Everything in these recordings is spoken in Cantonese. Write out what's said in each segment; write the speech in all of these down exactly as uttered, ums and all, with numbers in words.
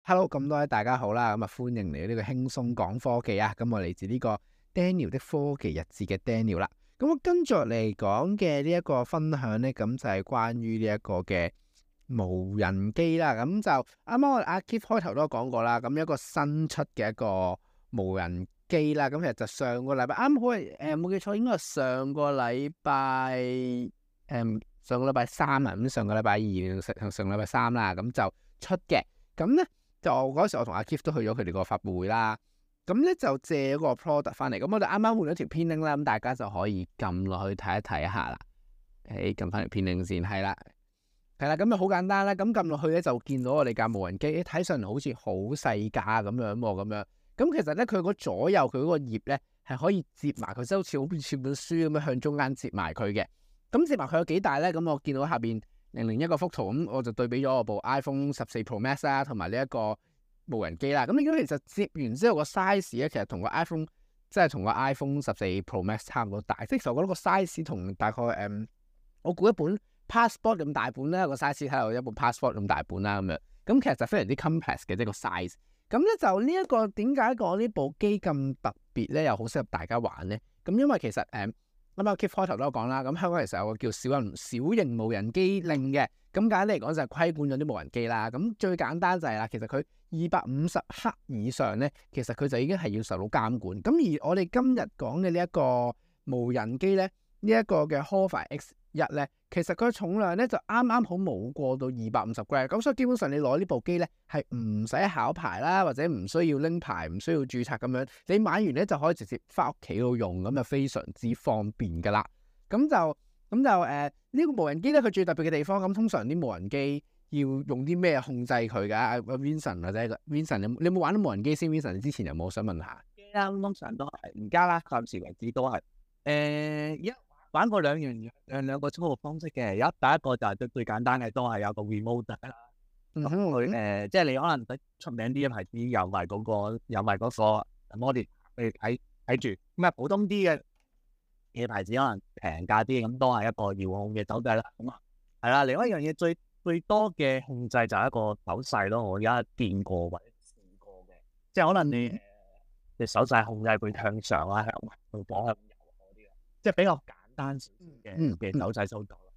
Hello，咁多位大家好啦，咁啊歡迎嚟呢個輕鬆講科技啊，咁我嚟自呢個 Daniel 的科技日誌嘅 Daniel 啦，咁我跟住嚟講嘅呢一個分享呢，咁就係關於呢一個嘅無人機啦，咁就啱啱我阿 Keith 開頭都講過啦，咁一個新出嘅一個無人機啦，咁其實就上個禮拜啱好誒冇記錯，應該係上個禮拜誒上個禮拜三啊，咁上個禮拜二上上個禮拜三啦，咁就出嘅，咁咧。就嗰時我同阿 Keith 都去咗佢哋個發佈會啦，咁咧就借嗰個 product 翻嚟，咁我哋啱啱換咗條編 link 啦，咁大家就可以撳落去睇一睇下啦。誒，撳翻條編 link 先，係啦，係啦，咁就好簡單啦。咁撳落去咧就見到我哋架無人機，睇上嚟好似好細架咁樣喎，咁樣。咁其實咧佢個左右佢嗰個頁咧係可以摺埋佢，即係好似好似本書咁樣向中間摺埋佢嘅。咁摺埋佢有幾大咧？咁我見到下邊零零一個幅圖，咁我就對比咗我部 iPhone 十四 Pro Max 啦，同埋呢一個無人機啦。咁你見到其實接完之後個 size 咧，其實同個 iPhone 即係同個 iPhone 十四 Pro Max 差唔多大。即係其實我覺得個 size 同大概誒、嗯，我估一本 passport 咁大本啦，個 size 睇到一本 passport 咁大本啦咁樣。咁其實就非常之 complex 嘅，即係個 size。咁咧就呢、這、一個點解講呢部機咁特別咧，又好適合大家玩咧？咁因為其實誒。嗯咁啊 Keith 開頭都有講啦，咁香港其實有個叫小人小型無人機令嘅，咁簡單嚟講就係規管咗啲無人機啦。咁最簡單就係啦，其實佢二百五十克以上咧，其實佢就已經係要受到監管。咁而我哋今日講嘅呢一個無人機咧，呢、這、一個嘅 Horfire X 一咧，其實佢重量咧就啱啱好冇過到二百五十 gram，咁所以基本上你攞呢部機咧係唔使考牌啦，或者唔需要拎牌，唔需要註冊咁樣，你買完咧就可以直接翻屋企度用，咁就非常之方便噶啦。咁就咁就誒呢、呃這個無人機咧，佢最特別嘅地方，咁通常啲無人機要用啲咩控制佢噶？Vincent 或者 Vincent，你你有冇玩到無人機先 ？Vincent，你之前有冇想問下？通常都係而家啦，暫時為止都係誒一。玩過兩樣兩兩個操作方式嘅，有第一個就係最最簡單嘅，都係有個 remote 啦。咁佢誒，即係你可能睇出名啲嘅牌子，有埋嗰個有埋嗰個 model 你睇睇住。咁啊，普通啲嘅嘅牌子可能平價啲，咁都係一個遙控嘅手掣啦。咁啊，係啦。另外一樣嘢最最多嘅控制就係一個手勢咯。我而家見過或者試過嘅，即係可能你隻手勢控制佢向上啊、向向左、向右嗰啲，即係比較單少嘅嘅手掣操作啦，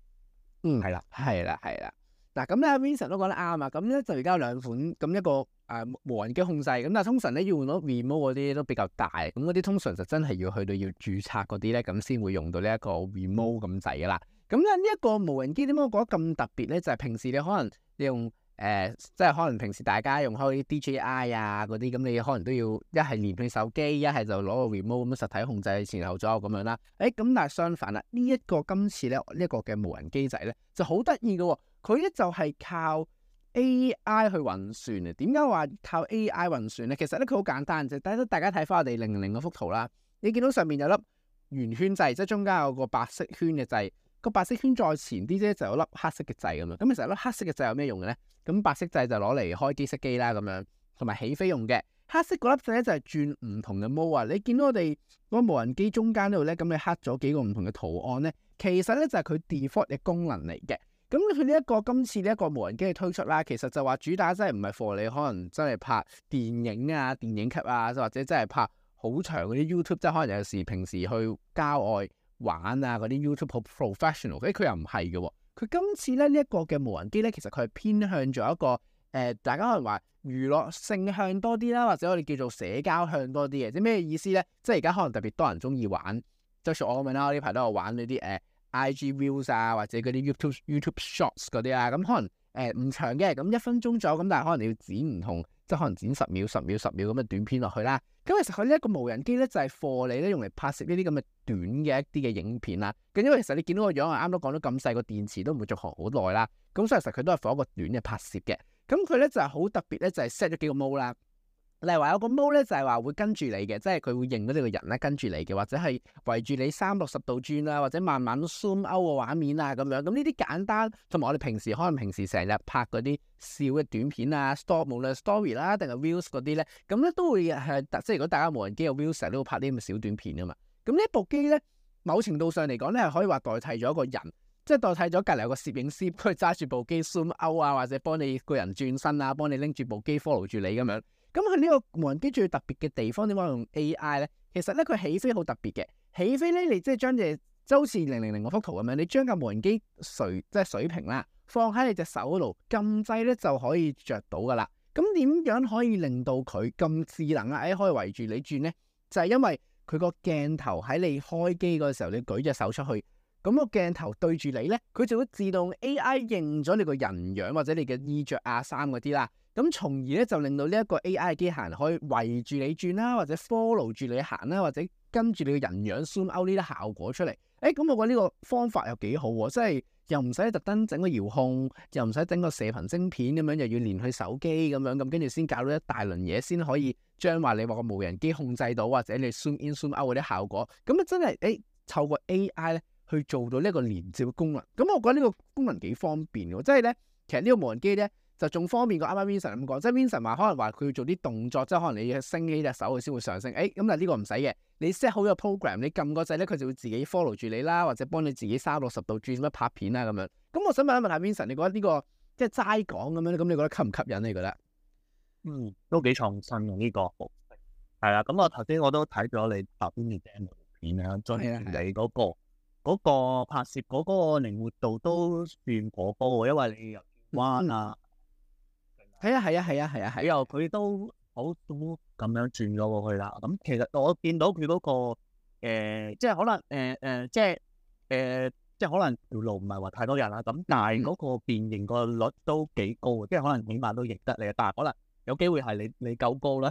嗯，係啦，係啦，係啦。嗱，咁咧 Vincent 都講得啱啊。咁咧就而家有兩款，咁一個誒、呃、無人機控制，咁但係通常咧要用到 remote 嗰啲都比較大，咁嗰啲通常就真係要去到要註冊嗰啲咧，咁先會用到呢一個 remote 咁滯噶啦。咁咧呢一個無人機點解我覺得咁特別咧？就係、是、平時你可能你用。誒、呃，即係可能平時大家用開啲 D J I 啊嗰啲，咁你可能都要一係連佢手機，一係就攞個 remote 咁樣實體控制前後左右咁樣啦。誒，咁但係相反啦，呢、這、一個今次咧呢一、這個嘅無人機仔咧就好得意嘅喎，佢咧就係、是、靠 A I 去運算啊。點解話靠 A I 運算咧？其實咧佢好簡單，就等大家睇翻我哋零零零嗰幅圖啦。你見到上面有粒圓圈掣，即係中間有個白色圈嘅掣。個白色圈再前啲啫，就有粒黑色嘅掣咁樣。咁其實粒黑色嘅掣有咩用嘅咧？咁白色掣就攞嚟開機熄機啦，咁樣同埋起飛用嘅。黑色嗰粒掣咧就係轉唔同嘅 mode 啊。你見到我哋嗰個無人機中間呢度咧，咁你刻咗幾個唔同嘅圖案咧，其實咧就係佢 default 嘅功能嚟嘅。咁佢呢一個今次呢一個無人機嘅推出啦，其實就話主打真係唔係 for 你可能真係拍電影啊、電影級啊，或者真係拍好長嗰啲 YouTube，即係可能有時平時去郊外玩啊嗰啲 YouTube 好 professional，誒佢又唔係嘅喎，佢今次咧呢一個嘅無人機咧，其實佢係偏向咗一個誒、呃，大家可能話娛樂性向多啲啦，或者我哋叫做社交向多啲嘅，即係咩意思咧？即係而家可能特別多人中意玩，就算我咁樣啦，呢排都有玩呢啲誒 I G Reels 啊，或者嗰啲 YouTube YouTube Shorts 嗰啲啊，咁可能誒唔、呃、長嘅，咁一分鐘左右，咁但係可能你要剪唔同，即係可能剪十秒、十秒、十秒咁嘅短片落去啦。咁其實佢呢一個無人機咧就係 for 你咧用嚟拍攝呢啲咁嘅短嘅一啲嘅影片啦。咁因為其實你見到個樣啊，啱都講到咁細個電池都唔會續航好耐啦。咁所以其實佢都係 for 一個短嘅拍攝嘅。咁佢咧就係好特別咧，就係 set 咗幾個 mode 啦。例如話有個 mode 咧就係話會跟住你嘅，即係佢會認到你個人咧跟住你嘅，或者係圍住你三百六十度轉啦，或者慢慢 zoom out 個畫面啊咁樣。咁呢啲簡單，同埋我哋平時可能平時成日拍嗰啲笑嘅短片啊 ，story 無論 story 啦定係 reels 嗰啲咧，咁咧都會係即係如果大家無人機有 reels 成日都會拍啲咁嘅小短片啊嘛。咁呢部機咧，某程度上嚟講咧係可以話代替咗一個人。即係代替咗隔離有個攝影師，佢揸住部機 zoom out 啊，或者幫你個人轉身啊，幫你拎住部機 follow 住你咁樣。咁佢呢個無人機最特別嘅地方點解用 A I 咧？其實咧佢起飛好特別嘅，起飛咧你即係將隻即係好似零零零嗰幅圖咁樣，你將架無人機垂即係水平啦，放喺你隻手嗰度，撳掣咧就可以着到噶啦。咁點樣可以令到佢咁智能啊？誒可以圍住你轉咧？就係因為佢個鏡頭喺你開機嗰時候，你舉隻手出去，咁個鏡頭對住你咧，佢就會自動 A I 認咗你個人樣或者你嘅衣着啊衫嗰啲啦。咁從而咧就令到呢一個 A I 機械人可以圍住你轉啦，或者 follow 住你行啦，或者跟住你嘅人樣 zoom out 呢啲效果出嚟。誒咁我覺得呢個方法又幾好喎，即係又唔使特登整個遙控，又唔使整個射頻晶片咁樣，又要連去手機咁樣，咁跟住先搞到一大輪嘢，先可以將話你話個無人機控制到，或者你 zoom in zoom out 嗰啲效果。咁啊真係誒透過 A I 咧去做到呢一個連接嘅功能。咁我覺得呢個功能幾方便喎，即係咧其實呢個無人機咧。就仲方便過啱啱 Vincent 咁講，即係 Vincent 話可能話佢要做啲動作，即係可能你要升起隻手佢先會上升。誒咁但係呢個唔使嘅，你 set 好咗 program，你撳個掣咧，佢就會自己 follow 住你啦，或者幫你自己三百六十度轉乜拍片啊咁樣。咁我想問一問下 Vincent，你覺得呢、呢個即係齋講咁樣，咁你覺得吸唔吸引？你覺得？嗯，都幾創新嘅呢個模式。係啊，咁我頭先我都睇咗你拍邊嘅 demo 片啊，再你嗰個嗰個拍攝嗰個靈活度都算過高喎，因為你又彎啊。嗯係啊係啊係啊係啊係，又佢都好都咁樣轉咗過去啦。咁其實我見到佢嗰、嗰個誒、呃，即係可能誒誒、呃呃，即係誒、呃，即係可能條路唔係話太多人啦。咁但係嗰個辨認個率都幾高嘅，即係可能起碼都認得你。但係可能有機會係你你夠高啦。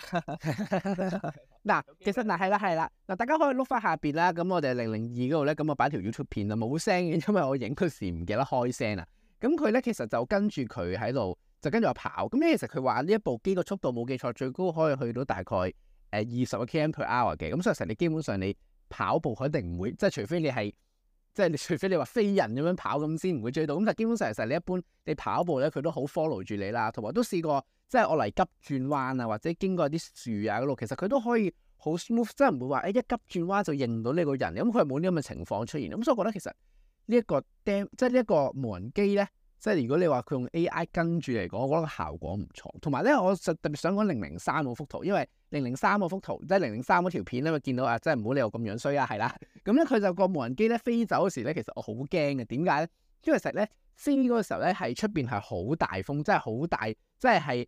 嗱，其實嗱係啦係啦，嗱大家可以碌翻下邊啦。咁我哋零零二嗰度咧，咁我擺條 YouTube 片啊，冇聲嘅，因為我影嗰時唔記得開聲啊。咁佢咧其實就跟住佢喺度。就跟住我跑，咁咧其實佢話呢一部機個速度冇記錯，最高可以去到大概誒二十個 kilometer per hour 嘅，咁所以成日你基本上你跑步佢一定唔會，即係除非你係即係你除非你話飛人咁樣跑咁先唔會追到，咁但係基本上其實你一般你跑步咧佢都好 follow 住你啦，同埋都試過即係我嚟急轉彎啊，或者經過啲樹啊嗰度，其實佢都可以好 smooth，即係唔會話誒一急轉彎就認到呢個人，咁佢係冇呢咁嘅情況出現，咁所以我覺得其實呢一個 dam 即係呢一個無人機咧。即係如果你話佢用 A I 跟住嚟講，我覺得個效果唔錯。同埋咧，我特別想講零零三嗰幅圖，因為零零三嗰幅圖即係零零三嗰條片咧，我見到啊，真係唔好理我咁樣衰啊，係啦。咁咧佢就個無人機咧飛走嗰時咧，其實我好驚嘅。點解咧？因為實咧飛嗰個時候咧係出邊係好大風，真係好大，即係係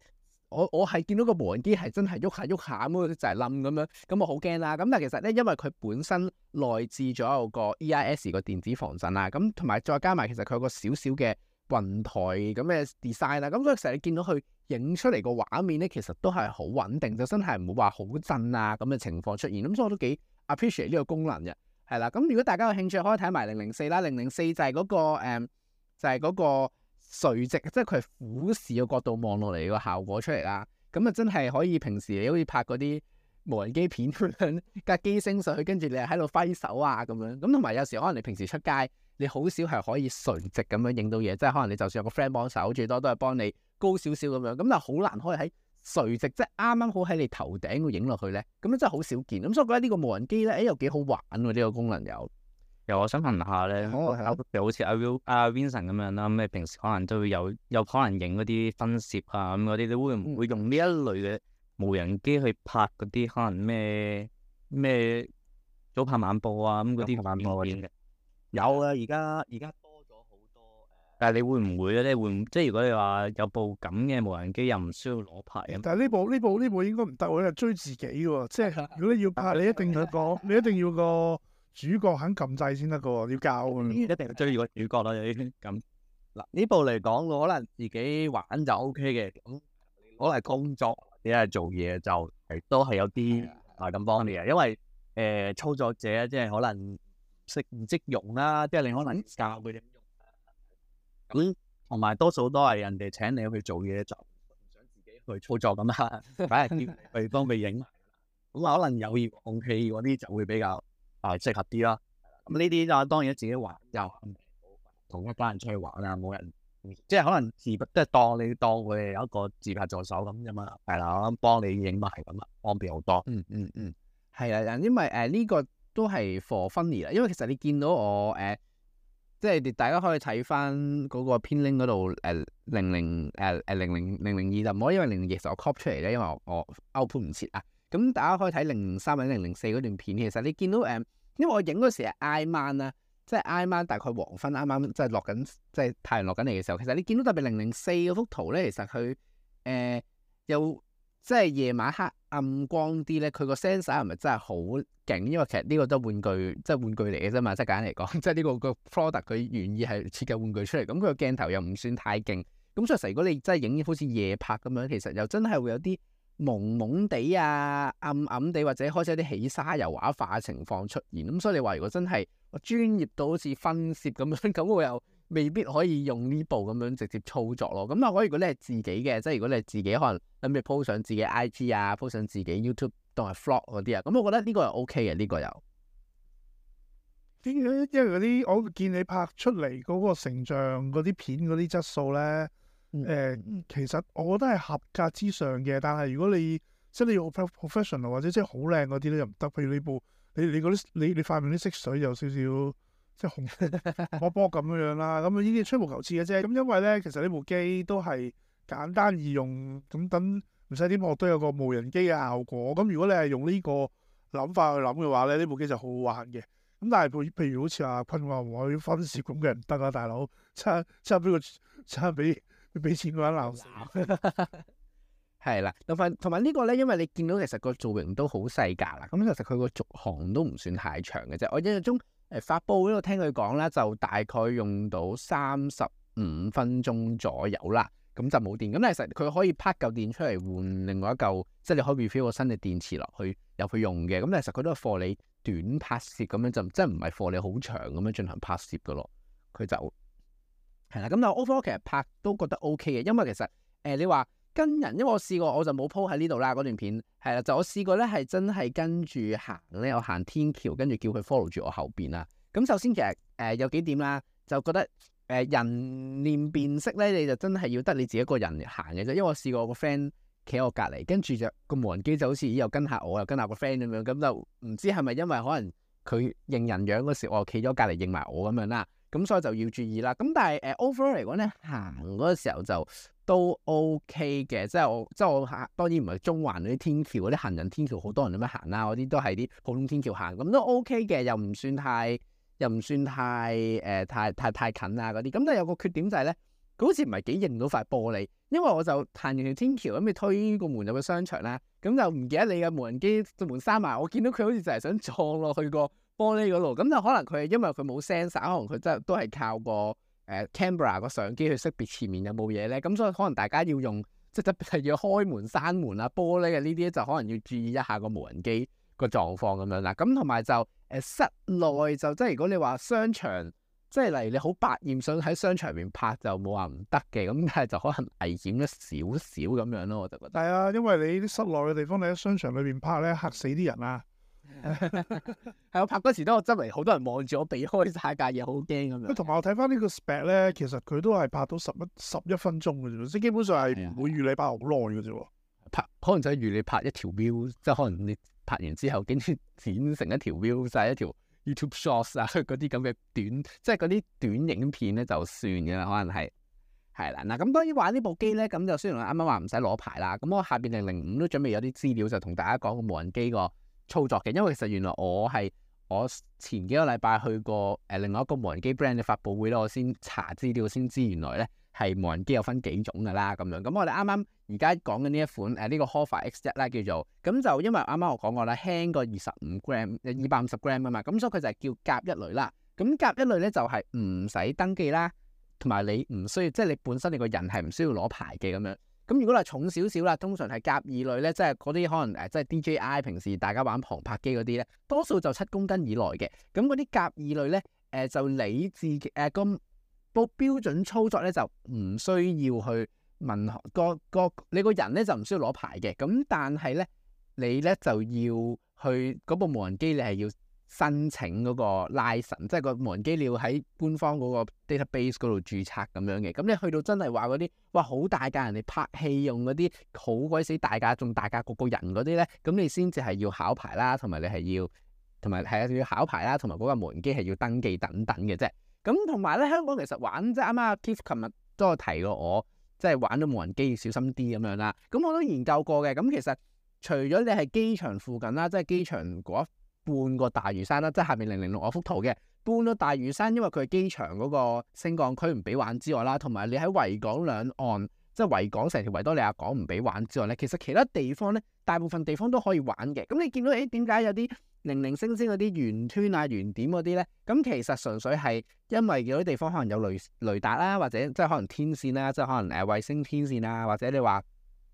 我我係見到個無人機係真係喐下喐下咁就係冧咁樣，咁我好驚啦。咁但係其實咧，因為佢本身內置咗有個 E I S 個電子防震啦，咁同埋再加埋其實佢有個少少嘅雲台咁嘅 design 啦，咁所以成日見到佢影出嚟個畫面咧，其實都係好穩定，就真係唔會話好震啊咁嘅情況出現。咁所以我都幾 appreciate 呢個功能嘅，係啦。咁如果大家有興趣，可以睇埋零零四啦。零零四就係嗰個誒，就係嗰個垂直，即係佢係俯視嘅角度望落嚟個效果出嚟啦。咁啊真係可以平時你好似拍嗰啲無人機片咁樣，架機升上去，跟住你喺度揮手啊咁樣。咁同埋有時可能你平時出街。你好少係可以垂直咁樣影到嘢，即係可能你就算有個 friend 幫手，最多都係幫你高少少咁樣，咁但係好難可以喺垂直，即係啱啱好喺你頭頂度影落去咧，咁樣真係好少見。咁所以我覺得呢個無人機咧，誒又幾好玩喎，呢個功能有。又我想問下咧，哦又好似阿 Will 阿 Vincent 咁樣啦，咁你平時可能都會有有可能影嗰啲分攝啊咁嗰啲，你會唔會用呢一類嘅無人機去拍嗰啲可能咩咩早拍晚報啊咁嗰啲晚報嘅？有啊，而家而家多咗好多誒。但係你會唔會咧？你會唔即係如果你話有部咁嘅無人機又唔需要攞牌咁？但係呢部呢部呢部應該唔得喎，因為追自己喎。即係如果你要拍，你一定要個你一定要個主角肯撳掣先得噶喎，要教㗎。一定要追住個主角啦，有啲咁。嗱呢部嚟講，我可能自己玩就 O K 嘅。咁攞嚟工作或者係做嘢就係都係有啲唔係咁方便嘅，因為誒、呃、操作者即係可能。識唔識用啦，即係你可能教佢點用。咁同埋多數都係人哋請你去做嘢，就唔想自己去操作咁啦，反而叫你去幫佢影。咁啊，可能有遙控器嗰啲就會比較啊適合啲啦。咁呢啲就當然自己玩又同一班人出去玩啊，冇人即係可能自即係當你當佢有一個自拍助手咁啫嘛，係啦，咁幫你影埋咁啊，方便好多。嗯嗯嗯，係啊，因為誒呢、呃這個。都係 for funny 啦，因為其實你見到我誒即係你大家可以睇翻嗰個編 link 嗰度誒零零誒誒零零零零二就唔可以，因為零零二其實我 copy 出嚟咧，因為我我 output 唔切啊。咁大家可以睇零零三或者零零四嗰段片，其實你見到誒、呃，因為我影嗰時係挨晚啦，即係挨晚大概黃昏啱啱即係落緊，即係太陽落緊嚟嘅時候，其實你見到特別零零四嗰幅圖咧，其實佢誒、呃、又即係夜晚黑暗光啲咧，佢個 sensor 係咪真係好勁？因為其實呢個都係玩具，即係玩具嚟嘅啫嘛，即係簡單嚟講，即係呢個個 product 佢原意係設計玩具出嚟，咁佢個鏡頭又唔算太勁，咁所以其實如果你真係影好似夜拍咁樣，其實又真係會有啲朦朦地啊、暗暗地或者開始有啲起沙油畫化嘅情況出現，咁所以你話如果真係專業到好似分攝咁樣，咁我又未必可以用呢部咁樣直接操作咯。咁啊，我如果你係自己嘅，即係如果你係自己可能諗住 po 上自己 I G 啊 ，po 上自己 YouTube 當係 vlog 嗰啲啊，咁我覺得呢個係 O K 嘅，呢、呢個又因為嗰啲我見你拍出嚟嗰個成像嗰啲片嗰啲質素咧，誒、嗯呃、其實我覺得係合格之上嘅。但係如果你即係你要 professional 或者即係好靚嗰啲咧，又唔得。譬如你部你你嗰啲你你塊面啲色水有少少即係紅波波咁樣樣啦，咁呢啲吹毛求疵嘅啫。咁因為咧，其實呢部機都係簡單易用，咁等唔使點學都有個無人機嘅效果。咁如果你係用呢個諗法去諗嘅話咧，呢部機就好好玩嘅。咁但係譬譬如好似阿坤話我要分攝咁嘅唔得啊，大佬差差俾個差俾俾錢嗰人鬧死。係啦，同埋同埋呢個咧，因為你見到其實個造型都好細格啦，咁其實佢個續航都唔算太長嘅啫。我印象中誒發布呢度聽佢講啦，就大概用到三十五分鐘左右啦，咁就冇電。咁其實佢可以拍嚿電出嚟換另外一嚿，即係你可以 refill 個新嘅電池落去入去用嘅。咁其實佢都係 for 你短拍攝咁樣，就真係唔係 for 你好長咁樣進行拍攝嘅咯。佢就係啦，咁但係 overall 其實拍都覺得 OK 嘅，因為其實誒、呃、你話。跟人，因為我試過，我就冇 po 喺呢度啦。嗰段片係啦，就我試過咧，係真係跟住行咧，我行天橋，跟住叫佢 follow 住我後邊啦。咁首先其實誒、呃、有幾點啦，就覺得誒、呃、人臉辨識咧，你就真係要得你自己一個人行嘅啫。因為我試過個 friend 企喺我隔離，跟住就個無人機就好似又跟下我，又跟下個 friend 咁樣，咁就唔知係咪因為可能佢認人樣嗰時，我又企咗隔離認埋我咁樣啦。咁所以就要注意啦。咁但係誒、呃、overall 嚟講咧，行嗰個時候就都 OK 嘅，即係我即係我行，當然唔係中環嗰啲天橋嗰啲行人天橋，好多人咁樣行啦，嗰啲都係啲普通天橋行，咁都 OK 嘅，又唔算太又唔算太誒、呃、太太太近啊嗰啲。咁但係有個缺點就係咧，佢好似唔係幾認到塊玻璃，因為我就行完條天橋咁，你推個門入去商場啦，咁就唔記得你嘅無人機個門閂埋，我見到佢好似就係想撞落去個玻璃嗰度，咁就可能佢係因為佢冇 sensor，可能佢真係都係靠個。誒 camera 個相機去識別前面有冇嘢咧，咁所以可能大家要用即係特別係要開門、閂門啊、玻璃嘅呢啲就可能要注意一下個無人機個狀況咁樣啦。咁同埋就誒、呃、室內就即係如果你話商場，即係例如你好百厭想喺商場入面拍就冇話唔得嘅，咁但係就可能危險咗少少咁樣咯，我就覺得。係啊，因為你啲室內嘅地方，你喺商場裏邊拍咧，嚇死啲人啊！係我拍嗰時都我周圍好多人望住我，避開晒架嘢，好驚咁樣。同埋我睇翻呢個 spec 咧，其實佢都係拍到十一十一分鐘嘅啫，即係基本上係唔會預你拍好耐嘅啫。拍可能就係預你拍一條 view，即係可能你拍完之後，竟然剪成一條 view，就係一條 YouTube Shorts 啊，嗰啲咁嘅短，即係嗰啲短影片咧就算嘅啦，可能係係啦。嗱，咁當然玩呢部機咧，咁就雖然我啱啱話唔使攞牌啦，咁我下邊零零五都準備有啲資料，就同大家講個無人機個操作嘅，因為其實原來我係我前幾個禮拜去過誒、呃、另外一個無人機 brand 嘅發佈會咧，我先查資料先知原來咧係無人機有分幾種噶啦咁樣。咁我哋啱啱而家講緊呢一款誒呢、呃這個 Horfa X 一啦叫做，咁就因為啱啱我講過啦，輕過二十五 gram 二百五十 gram 啊嘛，咁所以佢就係叫甲一類啦。咁甲一類咧就係唔使登記啦，同埋你唔需要，即係你本身你個人係唔需要攞牌嘅咁樣。咁如果係重少少啦，通常係甲二類咧，即係嗰啲可能誒，即係 D J I 平時大家玩旁拍機嗰啲咧，多數就七公斤以內嘅。咁嗰啲甲二類咧，誒、呃、就你自己誒個個標準操作咧，就唔需要去問個個你個人咧就唔需要攞牌嘅。咁但係咧，你咧就要去嗰部無人機，你係要申請嗰個 license，即係個無人機你要喺官方嗰個 database 嗰度註冊咁樣嘅。咁你去到真係話嗰啲，哇好大架人哋拍戲用嗰啲好鬼死大架，仲大架個個人嗰啲咧，咁你先至係要考牌啦，同埋你係要，同埋係啊要考牌啦，同埋嗰個無人機係要登記等等嘅啫。咁同埋咧，香港其實玩即係啱啱阿 Keith 琴日都有提過我，即係玩到無人機要小心啲咁樣啦。咁我都研究過嘅。咁其實除咗你係機場附近啦，即係機場嗰一半個大嶼山啦，即係下面零零六嗰幅圖嘅半個大嶼山，因為佢係機場嗰個升降區唔俾玩之外啦，同埋你喺維港兩岸，即係維港成條維多利亞港唔俾玩之外咧，其實其他地方咧，大部分地方都可以玩嘅。咁你見到誒點解有啲零零星星嗰啲圓圈啊、圓點嗰啲咧？咁其實純粹係因為有啲地方可能有雷雷達啦，或者即係可能天線啦，即係可能誒衛星天線啊，或者你話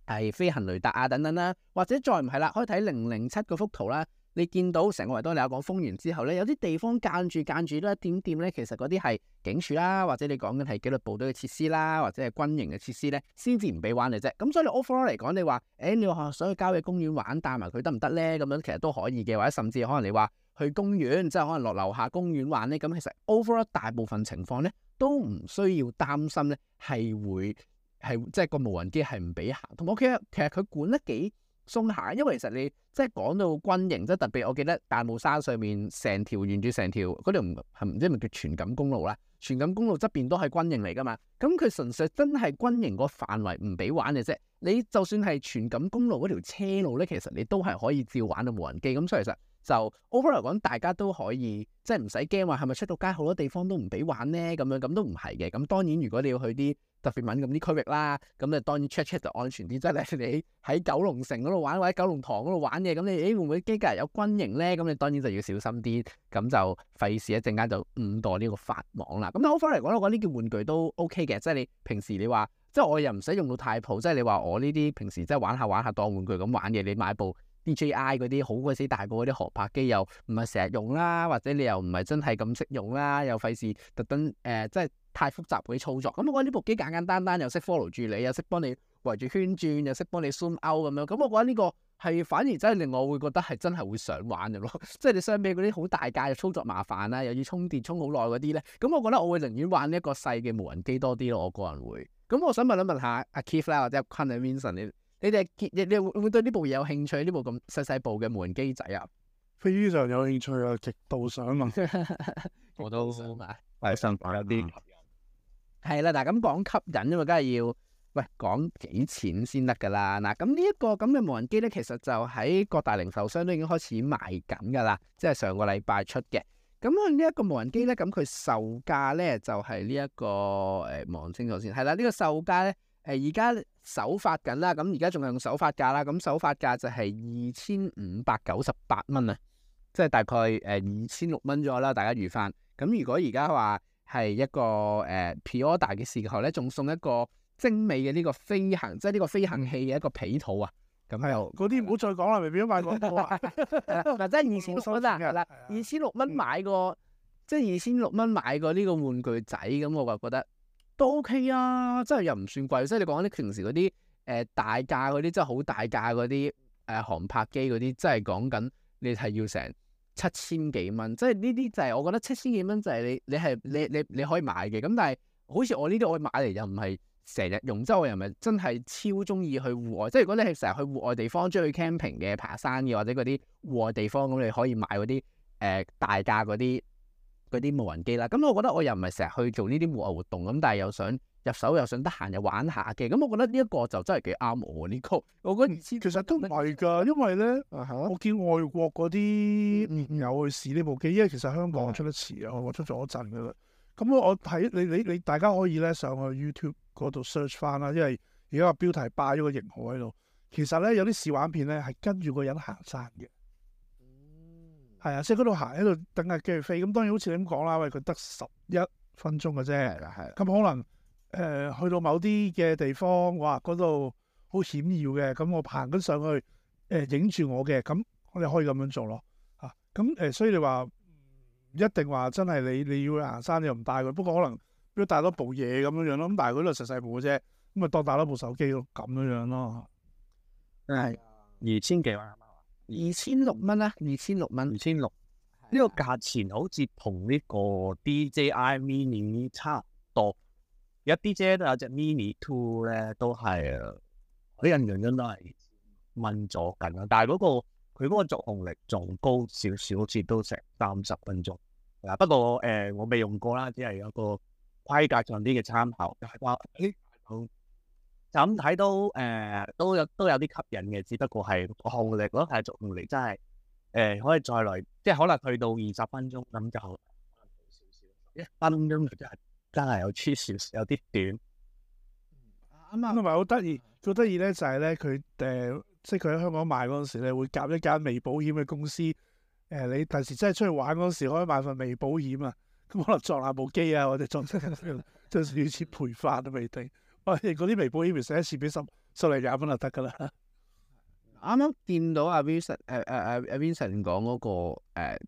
係飛行雷達啊等等啦，或者再唔係啦，可以睇零零七嗰幅圖啦。你見到成個維多利亞港封完之後咧，有啲地方間住間住都一點點咧，其實嗰啲係警署啦，或者你講緊係紀律部隊嘅設施啦，或者係軍營嘅設施咧，先至唔俾玩嘅啫。咁所以你 overall 嚟講，你話誒你話想去郊野公園玩，帶埋佢得唔得咧？咁樣其實都可以嘅，或者甚至可能你話去公園，即係可能落樓下公園玩咧，咁其實 overall 大部分情況咧都唔需要擔心咧，係會係即係個無人機係唔俾行。同埋我其實其實佢管得幾鬆下，因為其實你即係講到軍營，即係特別，我記得大帽山上面成條沿住成條嗰條唔係唔知係咪叫荃錦公路啦，荃錦公路側邊都係軍營嚟噶嘛，咁佢純粹真係軍營個範圍唔俾玩嘅啫。你就算係荃錦公路嗰條車路咧，其實你都係可以照玩到無人機。咁所以其實就 overall 嚟講，大家都可以即係唔使驚話係咪出到街好多地方都唔俾玩咧咁樣，咁都唔係嘅。咁當然如果你要去啲特別敏感啲區域啦，咁你當然 check check 就安全啲。即係你喺九龍城嗰度玩或者九龍塘嗰度玩嘅，咁你誒會唔會機隔日有軍營咧？咁你當然就要小心啲，咁就費事一陣間就誤墮呢個法網啦。咁 overall 嚟講，我覺得呢件玩具都 OK 嘅，即係你平時你話即係我又唔使用到太普，即係你話我呢啲平時即係玩下玩下當玩具咁玩嘅，你買部 D J I 嗰啲好鬼死大個嗰啲航拍機又唔係成日用啦，或者你又唔係真係咁識用啦，又費事特登誒，即係太複雜嗰啲操作。咁我覺得呢部機簡簡單單，又識 follow 住你，又識幫你圍住圈轉，又識幫你 zoom out 咁樣。咁我覺得呢個係反而真係令我會覺得係真係會想玩嘅咯。即係你相比嗰啲好大架又操作麻煩啦，又要充電充好耐嗰啲咧，咁我覺得我會寧願玩呢一個細嘅無人機多啲咯。我個人會。咁我想問一問下阿 Keith 啦，或者阿坤啊 Vincent，你你哋你你會唔會對呢部嘢有興趣？呢部咁細細部嘅無人機仔啊？非常有興趣啊，極度想問。我都想買，係想講有啲吸引。係啦，嗱咁講吸引，因為梗係要喂講幾錢先得㗎啦。嗱咁呢一個咁嘅無人機咧，其實就喺各大零售商都已經開始賣緊㗎啦，即係上個禮拜出嘅。咁佢呢一個無人機咧，咁佢售價咧就係呢一個誒望清楚先，係啦，呢個售價咧誒而家首發緊啦，咁而家仲係用首發價啦，咁首發價就係二千五百九十八蚊啊，即係大概誒二千六蚊左右啦，大家預翻。咁如果而家話係一個誒 pre-order 嘅時候咧，仲送一個精美嘅呢個飛行，即係呢個飛行器嘅一個皮套啊。咁又嗰啲唔好再講啦，未必買廣告啊！嗱，真係二千六蚊啊，係啦，二千六蚊買個，即係二千六蚊買個呢個玩具仔，咁我就覺得都 OK 啊，真係又唔算貴。即係你講啲平時嗰啲誒大價嗰啲，即係好大價嗰啲誒航拍機嗰啲，真係講緊你係要成七千幾蚊。即係呢啲就係我覺得七千幾蚊就係你你係你你你可以買嘅。咁但係好似我呢啲我買嚟又唔係成日用，即係我又唔係真係超中意去戶外。即係如果你係成日去戶外地方，中意去 camping 嘅、爬山嘅或者嗰啲戶外地方，咁你可以買嗰啲誒大價嗰啲嗰啲無人機啦。咁我覺得我又唔係成日去做呢啲戶外活動，咁但係又想入手又想得閒又玩下嘅。咁我覺得呢一個就真係幾啱我呢個。我覺得其實都唔係㗎，因為咧，uh-huh. 我見外國嗰啲有去試呢部機，因為其實香港出得遲啊，我出咗一陣㗎啦。咁我睇你你你大家可以咧上去 YouTube 嗰度 search 翻啦，因為而家個標題擺咗個型號喺度。其實咧有啲試玩片咧係跟住個人行山嘅，係啊，即係嗰度行喺度等架機去飛。咁當然好似你咁講啦，喂，佢得十一分鐘嘅啫，係啦係。咁可能誒、呃、去到某啲嘅地方，哇，嗰度好險要嘅，咁我行緊上去誒影住我嘅，咁我哋可以咁樣做咯。嚇、啊，咁誒、呃，所以你話唔一定話真係你你要去行山你又唔帶佢，不過可能要帶多部嘢咁樣樣咯。咁但係佢都係細細部嘅啫，咁咪當帶多部手機咯，咁樣樣咯。係二千幾蚊，二千六蚊啦，二千六蚊，二千六呢個價錢好似同呢個 D J I Mini 差唔多。而家 D J I 都有隻 Mini Two 咧，都係我印象中都係蚊咗緊啦。但係嗰、嗰個佢嗰個續航力仲高少少，好似都成三十分鐘。嗱，不過誒、呃、我未用過啦，只係有個規格上啲嘅參考，就係話誒好就咁睇都誒、呃、都有都有啲吸引嘅，只不過係個耗力咯，係續航力真係誒、呃、可以再來，即係可能去到二十分鐘咁就可能少少，一分鐘就真係真係有黐少有啲短。啱啱同埋好得意，最得意咧就係咧佢誒，即係佢喺香港賣嗰陣時咧，會夾一間微保險嘅公司。誒、呃，你第時真係出去玩嗰陣時，可以買份微保險啊。咁可能撞爛部機啊，或者撞即係要錢賠翻都未定。喂，嗰啲微保險咪寫一次俾十十零廿蚊就得㗎啦。啱啱見到阿 Vincent 誒誒誒阿 Vincent 講嗰個誒嗰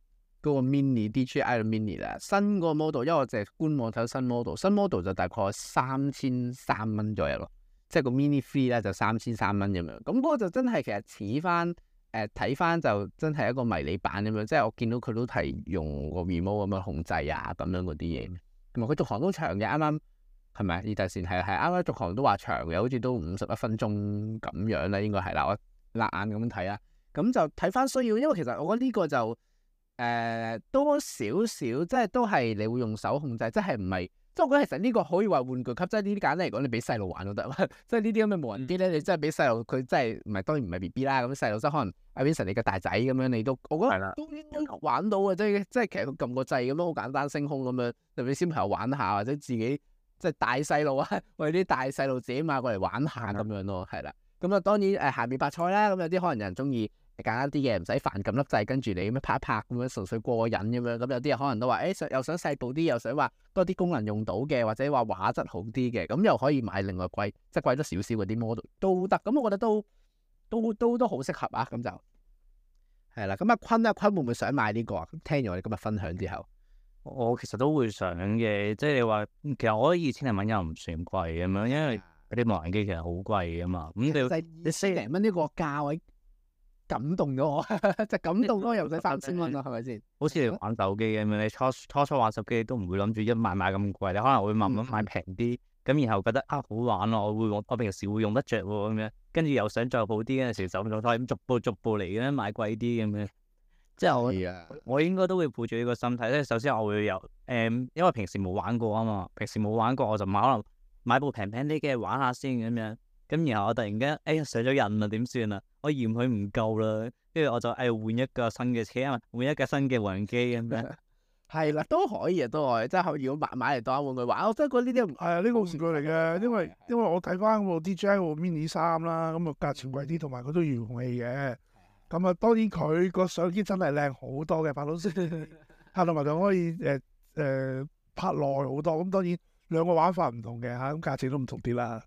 個 mini D J I 嘅 mini 啦，新嗰個 model，因為我淨係官網睇到新 model，新 model 就大概三千三蚊左右咯。即係個 mini three 咧就三千三蚊咁樣，咁嗰個就真係其實似翻誒睇翻就真係一個迷你版咁樣，即係我見到佢都係用個 remote 咁樣控制啊咁樣嗰啲嘢，同埋佢續航都長嘅，啱啱係咪？二大線係係啱啱續航都話長嘅，好似都五十一分鐘咁樣啦，應該係啦，我擸眼咁樣睇啊，咁就睇翻需要，因為其實我覺得呢個就誒、呃、多少少，即係都係你會用手控制，即係唔係？即係我覺得其實呢個可以話玩具級，即係呢啲簡單嚟講，你俾細路玩都得。即係呢啲咁嘅無人機咧，你真係俾細路，佢真係唔係當然唔係 B B 啦。咁細路即係可能阿 Vincent 你嘅大仔咁樣，你都我覺得都應該玩到嘅。即係即係其實佢撳個掣咁樣好簡單升空咁樣，就俾小朋友玩下，或者自己即係帶細路啊，或者啲大細路自己買過嚟玩下咁樣咯，係啦。咁啊當然誒鹹面白菜啦，咁有啲可能有人中意簡單啲嘅，唔使煩撳粒掣，跟住你咁樣拍一拍咁樣純粹過癮咁樣。咁有啲人可能都話誒想又想細部啲，又想話多啲功能用到嘅，或者話畫質好啲嘅，咁又可以買另外貴，即係貴咗少少嗰啲 model 都得。咁我覺得都都都都好適合啊。咁就係啦。咁阿坤阿坤會唔會想買呢個啊？聽完我哋今日分享之後，我其實都會想嘅，即係你話其實我覺得二千零蚊又唔算貴咁樣，因為嗰啲無人機其實好貴噶嘛。咁你你四零蚊呢個價位感動咗我，就感動咗又唔使三千蚊啦，係咪先？好似你玩手機咁樣，你初初初玩手機都唔會諗住一買買咁貴，你可能會慢慢買平啲，咁、嗯、然後覺得啊好玩咯，我會我平時會用得着喎咁樣，跟住又想再好啲嗰陣時就就咁逐步逐步嚟嘅買貴啲咁樣。即係我、啊、我應該都會抱住呢個心態，即係首先我會有誒、嗯，因為平時冇玩過啊嘛，平時冇玩過我就買可能買部平平啲嘅玩下先咁樣。咁然後我突然間，哎呀上咗癮啦，點算啊？我嫌佢唔夠啦，跟住我就誒換一個新嘅車啊，換一架新嘅無人機咁樣。係啦，都可以啊，都可以。即係如果買買嚟當玩具玩，我真係覺得呢啲係啊，呢個玩具嚟嘅，因為因為我睇翻個 D J I 個 mini 三啦，咁啊價錢貴啲，同埋佢都遙控器嘅。咁啊，當然佢個相機真係靚好多嘅，拍到先，拍到埋仲可以誒誒、呃、拍耐好多。咁當然兩個玩法唔同嘅嚇，咁價錢都唔同啲啦。